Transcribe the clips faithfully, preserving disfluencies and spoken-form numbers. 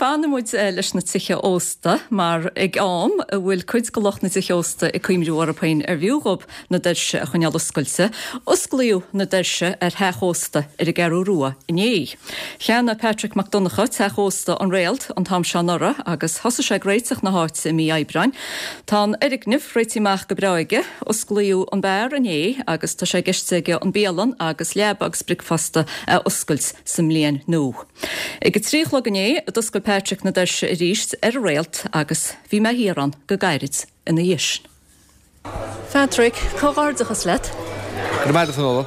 Fanfaidh muid leis na tithe ósta mar ag am a bhfuil cuid de lucht na dtithe ósta ag cuimhniú orthu féin ar bhfiú dhóibh na doirse a choinneáil oscailte, osclaíodh na doirse ar theach ósta ar an gCeathrú Rua inné. Cheannaigh Patrick Mac Donncha teach ósta An Réalt an t-am seo anuraidh agus thosaigh sé ag réiteach na háite i mí Aibreáin. Tá an fhoirgneamh réitithe amach go breá aige, osclaíodh an beár inné agus tá sé i gceist aige an bialann agus leaba agus bricfeasta a oscailt sa mbliain nua. Ag a trí a chlog inné a d'oscail Patrick na doirse arís ar an Réalt agus bhí mé thiar ann go gairid ina dhiaidh sin. Patrick, comhghairdeachas leat. Go raibh maith agat, Fionnuala.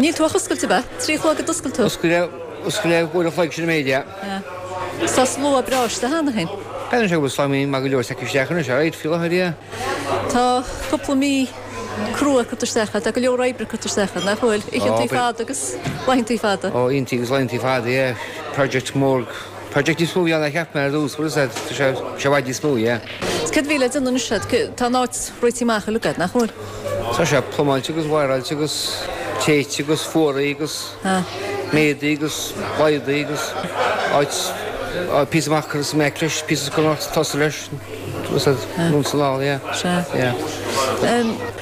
Níl tú ach oscailte ab ea? Trí a chlog a d'oscail tú? Oscail oscail uair a chloig sin an méid, yeah. Tá slua breá istigh cheana féin. B'fhéidir sé go bhfuil slua maith go leor tagtha isteach anois, alright, faoi láthair, yeah. Tá cúpla mí crua curtha isteach agat, tá go leor oibre curtha isteach agat, nach bhfuil? Oícheantaí fada agus laethantaí fada. Ó, oícheantaí agus laethantaí fada, yeah. Project mór, project níos mó a bhí ann ná cheap mé ar dtús, bhfuil a fhios agat, tá sé i bhfad níos mó, yeah. Céard a bhí le déanamh anois agat? Tá an áit réitithe amach uilig agat, nach bhfuil? Tá sé plumáilte agus wire-áilte agus téite agus fuaraithe agus méadaithe agus laghdaithe agus áit, píosa amach curtha sa mbeck leis, píosa curtha amach sa tosaigh leis. Anonn is anall, yeah. Sea. Yeah.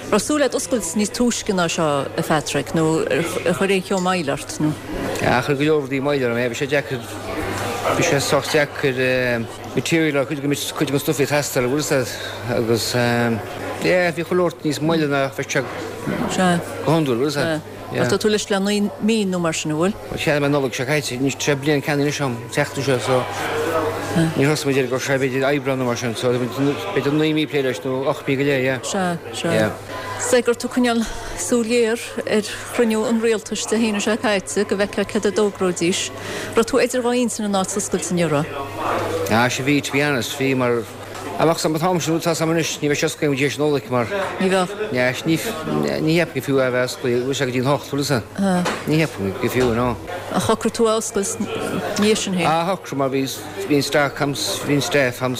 Raibh súil agat oscailt níos túisce ná seo, a Phatrick, nó ar chuir aon cheo moill ort, nó? Yeah, chuir go leor rudaí moill orm, yeah. Bhí sé deacair, bhí sé sách deacair material, cuid de, cuid den stuif a bhí ag teastáil, bhfuil fhios agat, agus yeah, bhí chuile shórt níos moille ná bheadh sé Sea. go hiondúil, bhfuil fhios agat. Ach tá tú leis le naoi mí nó mar sin, an bhfuil? Bhuel, cheannaigh mé Nollaig seo caite, anois tá sé bliain ceannaithe anois agam, an tseachtain seo, so níor thosaigh muid air go raibh sé b'fhéidir Aibreán nó mar sin, so b'fhéidir naoi mí ag plé leis nó ocht mí go leith, yeah. Sea, sea. Yeah. Is é go raibh tú ag coinneáil súil ghéar ar chruinniú an rialtais Dé hAoine seo caite go bhfeicfeá céard a d'fhógróidís. Raibh tú idir dhá intinn an áit a oscailt inniu, raibh? Ah, sea, bhí, to be honest, bhí mar. Amach san t-am sin, tá sam anois, ní bheidh sé oscailte go dtí an Nollaig mar. Ní bheadh. Ní, ní cheapaim gur fiú é a bheith oscailte, bhfuil sé go dtí an hocht, bhfuil fhios agat? Ní cheapaim gur fiú, no. Ach shocraigh tú é a oscailt ina dhiaidh sin féin? Ah, shocraigh mar bhí, bhí an stock a'm, bhí an staff a'm,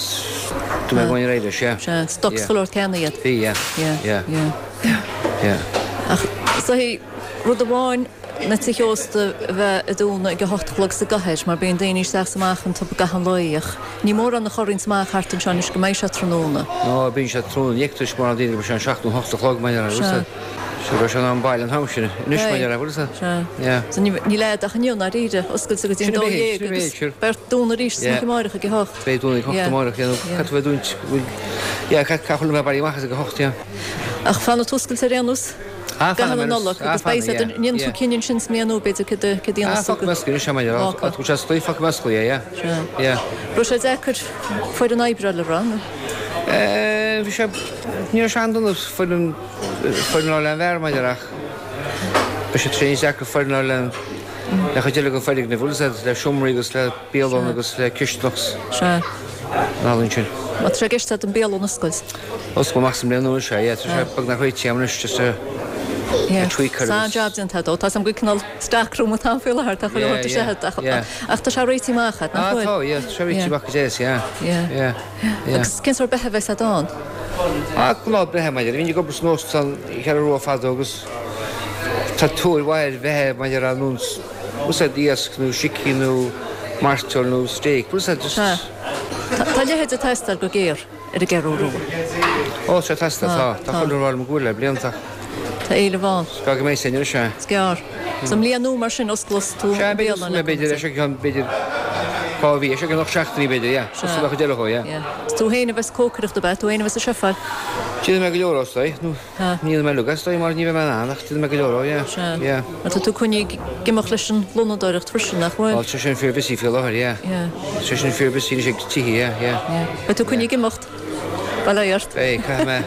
do mé going ar aghaidh leis, yeah. Sea, stoc chuile shórt ceannaithe agat. Bhí, yeah. Yeah, yeah. Yeah. Yeah. Ach, is é rud amháin na tithe ósta a bheith ag dúnadh ag a hocht a chlog sa gcathair mar bíonn daoine isteach is amach iontu i gcaitheamh an lae ach ní mórán a chorraíonns amach thart anseo anois go mbeidh sé tráthnóna. Nó bíonn sé tráthnóna, ní fheictear mórán daoine go mbeidh sé an seacht nó hocht a chlog mar dhea, Sea. Sea, beidh sé in am baile an t-am sin anois mar dhea, bhfuil fhios agat? Sea. Yeah. So níl agat ach inniu ndáiríre, oscailte go dtí an Sin dó a bheidh, dhéag sin a bheidh, agus sure. beidh ort dúnadh arís Yeah. san oíche amárach ag a hocht. Beidh dúnadh ag hocht Yeah. amárach, yeah, nó Yeah. caithfidh tú bheith dúint, bhfuil, yeah, caithfidh chuile dhuine bheith bailithe amach as ag a hocht, yeah. Ach fanfaidh tú oscailte ar aon nós? Ah, Gach fanfaidh an mé Nollaig ah, agus beidh fanfaidh, siad yeah, ndéanfaidh tú yeah. cinneadh ansin sa mbliain nua b'fhéidir céard a céard a Ah, dhéanfas tú fágfaidh mé oscailte anois, mar dhea, Fágfaidh. tá sé oscailte, fágfaidh mé oscailte, yeah, yeah. Sea. Yeah. Raibh sé deacair foireann oibre a fháil, an raibh, nó? Eh, bhí sé, ní raibh sé an-dona foireann, foireann a fháil le an bheár, mar dhea, ach bhí sé tréan deacair foireann a fháil le an, le chuid eile den foirgneamh, bhfuil fhios agat, le seomraí agus le bialann agus le cisteanach. Sea. An ealaín sin. Má tá sé i gceist agat an bialann a oscailt. Oscailt amach sa mbliain nua, sea, yeah, tá sé beagnach réitithe agam anois, just a Yeah. tweak ar Tá agus. an-jab déanta agat. Tá 's agam go cineál stockroom atá ann faoi láthair, tá chuile Yeah, shórt yeah, istigh ach yeah. ach tá sé réitithe amach agat, nach Ah, bhfuil? tá, yeah, tá sé réitithe Yeah. amach go deas, yeah. Yeah. Yeah, yeah. Agus cén sórt beatha a bheas agat ann? Ah, gnáth beatha, mar dhea. Bhínn ag obair san óstán Cheathrú Rua fadó agus tá tóir mhaith ar bheatha mar dhea ar nós úsáid iasc nó sicín nó mairteoil nó steak, bhfuil fhios agat, just. Tá. Tá a leithéid ag teastáil go géar ar an gCeathrú Rua. Ó, tá sé ag teastáil, tá. Tá, Tá chuile rud go bhfuil le blianta. Tá éileamh ann. Is gá go mbeidh sin anois, sea. Is gearr. Sa mbliain nua mar sin, osclós tú Sea, an b'fhéidir, bialann b'fhéidir, b'fhéidir, é seo ceann, b'fhéidir, dhá mhí, é seo ceann ocht seachtainí, b'fhéidir, yeah. Sea. Osclóidh mé chuid eile dhó, yeah. Yeah. Is tú féin a bheas ag cócaireacht, ab ea? Tú féin a bheas ag seifeáil? Déanfaidh mé go leor is dóigh, nó Tá. ní dhéanfaidh mé uilig is dóigh mar ní bheidh mé in ann ach déanfaidh mé go leor, yeah. Sea. Yeah. Mar tá tú coinnithe ag imeacht leis an lónadóireacht freisin, nach bhfuil? Ó, tá sé sin fíor busy faoi láthair, yeah. Yeah. Tá sé sin fíor busy anois ag tithe, yeah, yeah. Yeah. Beidh tú coinnithe ag imeacht. Bail ó Dhia ort. Beidh, caithfidh mé,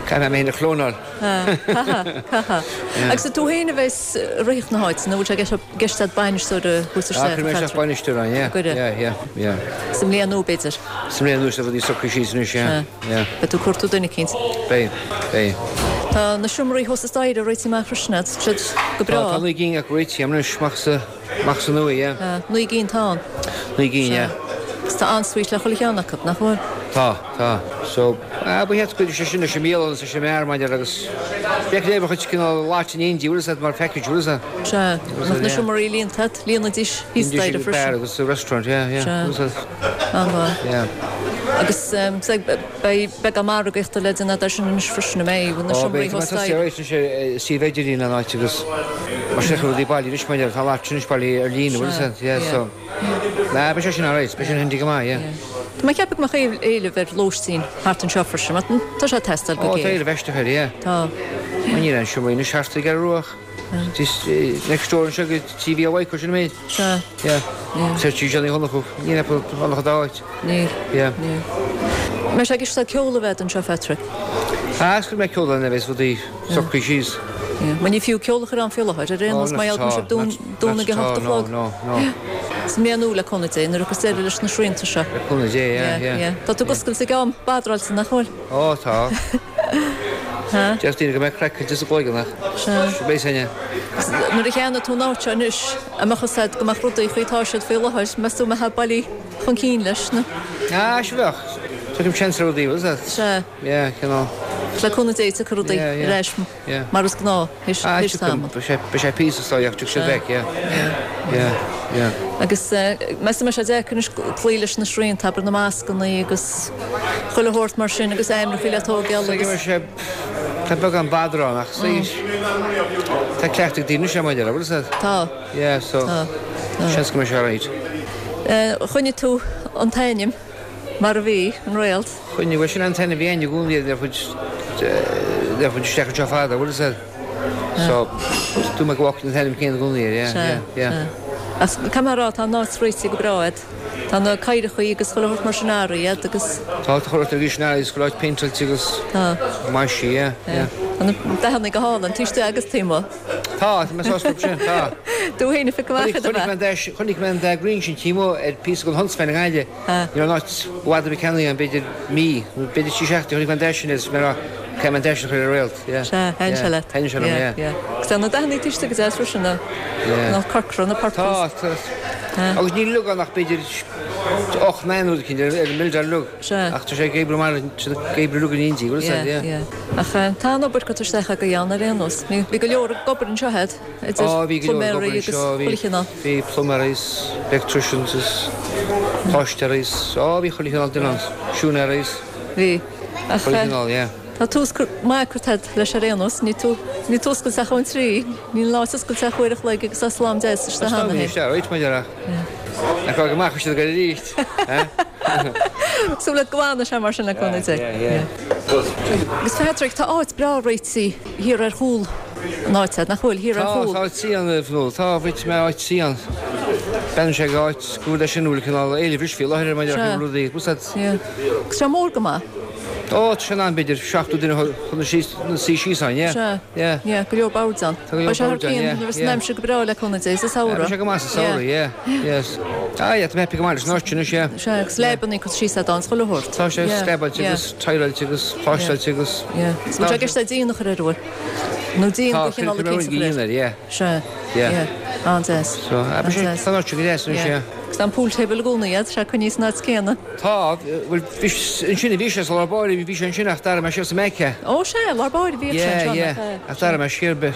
caithfidh mé mé féin a chlónáil. Caithfidh, caithfidh. Yeah. Agus tú féin a bheas ag ritheacht na háite, nó bhfuil sé i gceist agat bainisteoir a thabhairt Ah, isteach, cuirfidh mé isteach Patrick? bainisteoir ann, yeah. An gcuirfidh? Yeah, yeah, yeah. Sa mbliain nua, b'fhéidir. Sa mbliain nua, is rudaí socraithe síos anois, yeah. Sea. Yeah. Beidh tú ag cuartú duine eicínt. Beidh, beidh. Tá na seomraí thuas sa staighre réitithe amach freisin agat, siad go Tá, breá. tá naoi gcinn acu réitithe anois, amach sa, amach sa nua, yeah. Tá, naoi gcinn atá ann. Naoi gcinn, yeah. Agus tá ensuite le chuile cheann acu, nach bhfuil? Tá, tá. So, ah, ba cheart go sé sin leis an mbialann is leis an mbeár maidir agus bheadh léamh chuid cineál láit in éindí, bhfuil a fhios agat, mar package, bhfuil a fhios agat. Sea, nach na seomraí líonta agat, líonfaidís thíos staighre freisin. Beár agus sa restaurant, yeah, yeah, Sea. bhfuil a fhios agat. An-mhaith. Yeah. Agus beidh beagán margaíochta le déanamh air sin anois freisin, an mbeidh, na Ó, seomraí beidh, tá thuas mé staighre. tosaithe ar éis suíomh idirlín an áit agus mar sin rudaí bailithe anois maidir, tá an áit sin anois bailithe ar líne, bhfuil a fhios agat, yeah, Sea, so. Nah, beidh sé sin alright, beidh sin handy go maith, yeah. Tá mé ag ceapadh go mbeadh éileamh ar lóistín thart anseo freisin, mar tá sé ag teastáil go Ó, tá géar. éileamh aisteach air, yeah. Tá. Mar níl aon seomraí anois thart i gCeathrú Rua ach next door anseo go T V Hawaii, sin an méid. Sea. Yeah. Yeah. Tá sí Johnny Shonachú, níl aon an dá áit. Níl. Yeah. Níl. Mbeidh sé ag isteach ceol a bheith anseo, Patrick? Ah, is go mbeidh ceol ann a bheas rudaí socraithe síos. Yeah. Mar ní fiú ceol a chur ann faoi láthair, ar aon nós, mar gheall go bhfuil sibh dúnadh ag a hocht a chlog. No, no, no. Sa mbliain nua le cúnamh Dé, nuair a thiocfas deireadh leis na srianta seo. Le cúnamh Dé, yeah, yeah. Yeah. Tá tú ag oscailt ag am badráilte, nach bhfuil? Ó, tá. Ha? Deir daoine go mbeidh craic sa gcloigeann ach Sea. beidh sine. Nuair a cheannaigh tú an áit seo anois, an mbeadh fhios agat go mbeadh rudaí faoi atá siad faoi láthair, meas tú an mbeifeá bailí chun cinn leis, nó? Ah, sea bheadh. Tugaim seans ar rudaí, bhfuil fhios agat? Sea. Yeah, cineál. Le cúnamh Dé tiocfaidh rudaí Yeah, yeah. ar ais Yeah. mar is gnáth théis Ah, théis tiocfaidh. tamaill. Beidh sé beidh sé píosa is dóigh ach tiocfaidh siad back, yeah. Yeah, yeah. Agus meas tú an mbeidh sé deacair anois cloí leis na srianta, abair na mascanna agus chuile shórt mar sin agus aimreachaí le tógáil Is agus. dóigh sé tá beagán badrán ach is tá cleachtadh ag daoine anois maidir, bhfuil fhios agat? Tá. Yeah, so Tá. Tá. seans go mbeidh sé alright. Choinnigh tú an t-ainm mar a bhí, an Réalt. Choinnigh, bhuel sin an t-ainm a bhí againn i gcónaí ar chuid ar chuid isteach anseo fada, bhfuil fhios agat? So dúirt mé go bhfágfainn an t-ainm céanna i gcónaí air, yeah, Sea, yeah, yeah. sea. Ach caithfidh mé a rá, tá an áit réitithe go breá agat. Tá na cathrachaí agus chuile shórt mar sin athraithe agat agus. Tá, tá chuile shórt arís in athraithe, chuile áit péinteáilte agus Tá. maisithe, yeah, yeah. Tá na dathanna go hálainn, taobh istigh agus taobh amuigh. Tá, tá mé sásta sin, tá. Tú féin a phioc amach iad, ab Chonaic ea? mé an dá, chonaic mé an dá green sin taobh amuigh ar píosa den Huntsman i nGaillimh. Ní raibh an áit i bhfad ar bith ceannaithe agam, b'fhéidir mí, nó b'fhéidir trí seachtaine, chonaic mé an dá sin agus mé ag rá, caithfidh mé an dá sin a chur ar Réalt, yeah. Sea, thaitin sé leat. Thaitin sé liom, yeah. Yeah, yeah. Agus tá na dathanna taobh istigh go deas freisin, na, Yeah. na corcra, na purples. Tá, tá. Agus níl uilig ann ach b'fhéidir ocht naoi rud eicínt ar an mbildeáil uilig. Sea. Ach tá sé ag oibriú mar, tá sé ag oibriú uilig in éindí, bhfuil fhios agat, Yeah, yeah. yeah. Ach tá an obair curtha isteach agaibh ann ar aon nós. Bhí, bhí go leor ag obair anseo agat, idir Ó, bhí go leor ag pluiméirí obair agus anseo, bhí, chuile chineál. bhí pluiméirí is electricians is pláistéirí is, ó, bhí chuile chineál duine ann, siúinéirí is. Bhí. Ach, Chuile chineál, yeah. Tá tús maith curtha agat leis ar aon nós, níl tú, níl tú oscailte ach ón trí, níl an áit oscailte ach uair a chloig agus tá slám deas isteach Tá cheana féin. sé, right, mar dhea. Nach raibh go maith siad go arís. Súil agat go bhfanfaidh sé mar sin le cúnamh Dé. Yeah, yeah. Agus Patrick, tá áit breá réitithe thiar ar chúl an áit, nach bhfuil thiar ar Tá, chúl? tá áit suí ann, nó tá, bhí mé áit suí ann. B'fhéidir sé go áit go bhfuil leis sin bhfuil cineál éilimh faoi láthair ar maidir le rudaí. Bhfuil fhios agat? Yeah. Agus sé mór go maith. Ó, tá sé in ann b'fhéidir seachtó duine chun na síos, na suí síos ann, yeah. Sea. Yeah. Yeah, go leor boird ann. Tá go leor Beidh sé thar boird ann, cionn yeah, nuair is yeah. an aimsir go breá le cúnamh Dé sa samhradh. Beidh sé go maith sa samhradh, yeah. Yes. Ah, yeah, tá mé happy go maith leis an áit sin anois, yeah. Sea, agus leabannaí curtha síos agat ann, is chuile shórt. Tá sé Yeah, slabáilte yeah. agus tileáilte agus pláisteáilte agus. Yeah. Is bhfuil sé i gceist agat díon a chur air, an bhfuil? Nó díon Tá, de chineál cuirfidh mé eicínt a chur air. díon air, yeah. Sea. Yeah. Yeah. An-deas. So, ah, beidh sé, An-deas. tá an áit seo go deas anois, Yeah. yeah. Agus tá an pool table i gcónaí agat, sé coinnithe san áit céanna. Tá, bhuel, bhí ansin a bhí sé sa lár báire, bhí sé ansin ach d'athraigh mé siar sa mbeidh é. Ó sea, lár báire bhíodh sé Yeah, anseo, yeah. nach ea? Ach d'athraigh mé siar be.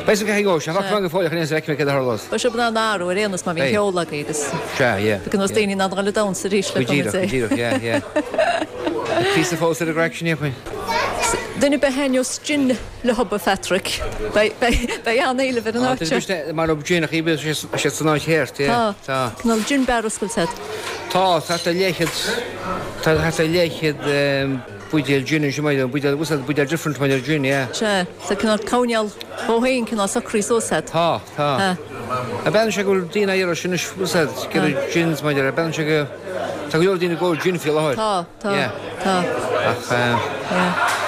Beidh sé go sé, bheadh go fóill chun aon feicfidh mé céard a tharlós. Beidh sibh in ann athrú ar aon nós má bhíonn Beidh. ceol agaibh agus Sea, yeah. Beidh nós daoine in ann dul ag damhsa arís le Go díreach, cúnamh go Dé. díreach, yeah, yeah. Píosa fós ar an gcraic sin, yeah. Duine ar bith a thaitneos gin le hobair Phatrick. Beidh beidh an-éileamh ar an áit seo. Mar ó gin ach ibe sé san áit cheart, yeah. Tá. Tá. Cineál gin bar oscailte agat. Tá, tá tá leathchéad tá tá leathchéad buidéal gin ansin maidir buidéal bhfuil buidéal different maidir gin, yeah. Sea, tá cineál coinneáil dhó féin cineál socraithe suas agat. Tá, tá. A bhean sé go bhfuil daoine á iarraidh sin anois bhfuil go gins maidir a bhean sé go tá go leor daoine ag ól gin faoi láthair. Tá, tá, Yeah. tá. Ach eh,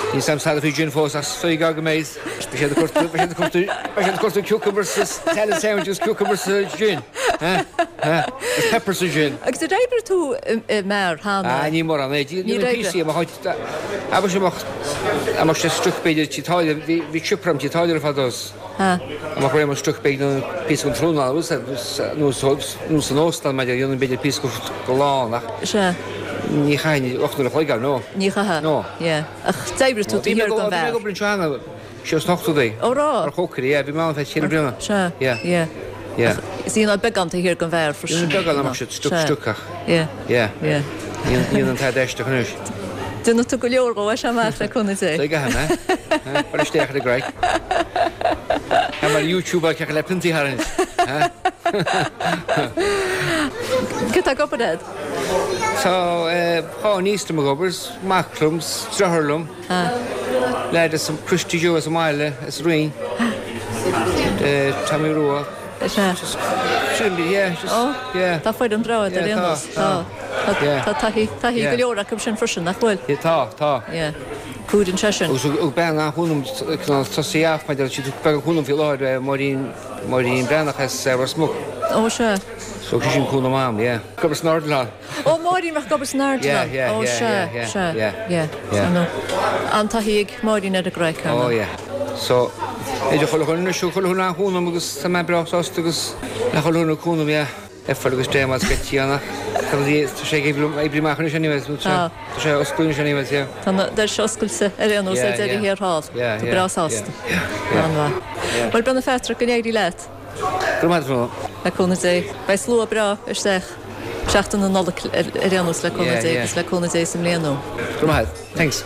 Níl sam sada faoi gin fós ach faoi go méid. Bhí sé siad ag cur cucumbers salad sandwiches cucumbers sa gin. Is pepper sa gin. Agus ar oibrigh tú i mbeár cheana? Ah, ní mórán é. Ní Ní oibre. píosaí amach amach amach sé struc b'fhéidir tí táile bhí chipram tí táile fadó. Amach raibh struc b'fhéidir píosa an tráthnóna nó san óstán maidir dhéanann b'fhéidir píosa go lán ach Sea. Ní chaithfinn ocht n-uair a chloig ann, no. Ní chaithfeá? No. Yeah. Ach d'oibrigh tú taobh thiar den bheár. Bhí mé ag obair anseo cheana, siar sna hochtóidí. Ó raibh? Mar chócaire, yeah, bhí mé ann feadh ceithre bliana. Sea. Yeah. Yeah. Yeah. Ach is ionann beagán taobh thiar den bheár freisin. Ionann beagán amach siad, stuc, stuc ach. Yeah. Yeah. Yeah. Níl an t-ad aisteach anois. Déanfaidh tú go leor dhó as seo amach le cúnamh Dé. Tá agat, eh? Cuir isteach ar an gcraic. Tá mar YouTube á ceapadh le piontaí a tharraingt. Cé tá ag obair agat? Tá dhá niece liom ag obair, mac liom, deartháir liom, leaid as Christy Joe as an mbaile, as an Rinn, Tommy Rua. Sea. Sin, yeah, just, yeah. Tá foireann breá agat ar aon nós. Tá, tá. Tá taithí, taithí go leor acu sin freisin, nach bhfuil? Yeah, tá, tá. Yeah. Cuidíonn sé sin. Agus thug bean an-chúnamh, cineál tosaí amach, mar deir siad, thug bean cúnamh faoi láthair, Máirín, Máirín Breathnach as Ros Muc. Ó, sea. So thug sí sin cúnamh a'm, yeah. Ag obair san Ardilaun. Ó, Máirín a bheadh ag obair san Ardilaun. Yeah, yeah, Ó, yeah, sea, yeah, yeah, sea, yeah, yeah. yeah. Nó, an-taithí ag Máirín ar an gcraic, ar Ó, ndóigh. yeah. So, idir chuile dhuine anois, thug chuile dhuine an-chúnamh agus tá mé breá sásta agus le chuile dhuine cúnamh, yeah. Eiffel agus Dé más sceitsí ann ach tá sé ag oibriú amach anois anyways, tá sé oscailte anois anyways, yeah. Tá na doirse oscailte ar aon nós ar deireadh thiar thall. Tá breá sásta. An-mhaith. Bhuel, beidh na Phatrick, go n-éirí leat. Go raibh maith agat. Le cúnamh Dé. Beidh slua breá isteach seachtain na Nollag ar aon nós le cúnamh Dé agus le cúnamh Dé sa mbliain nua. Go raibh maith agat. Thanks.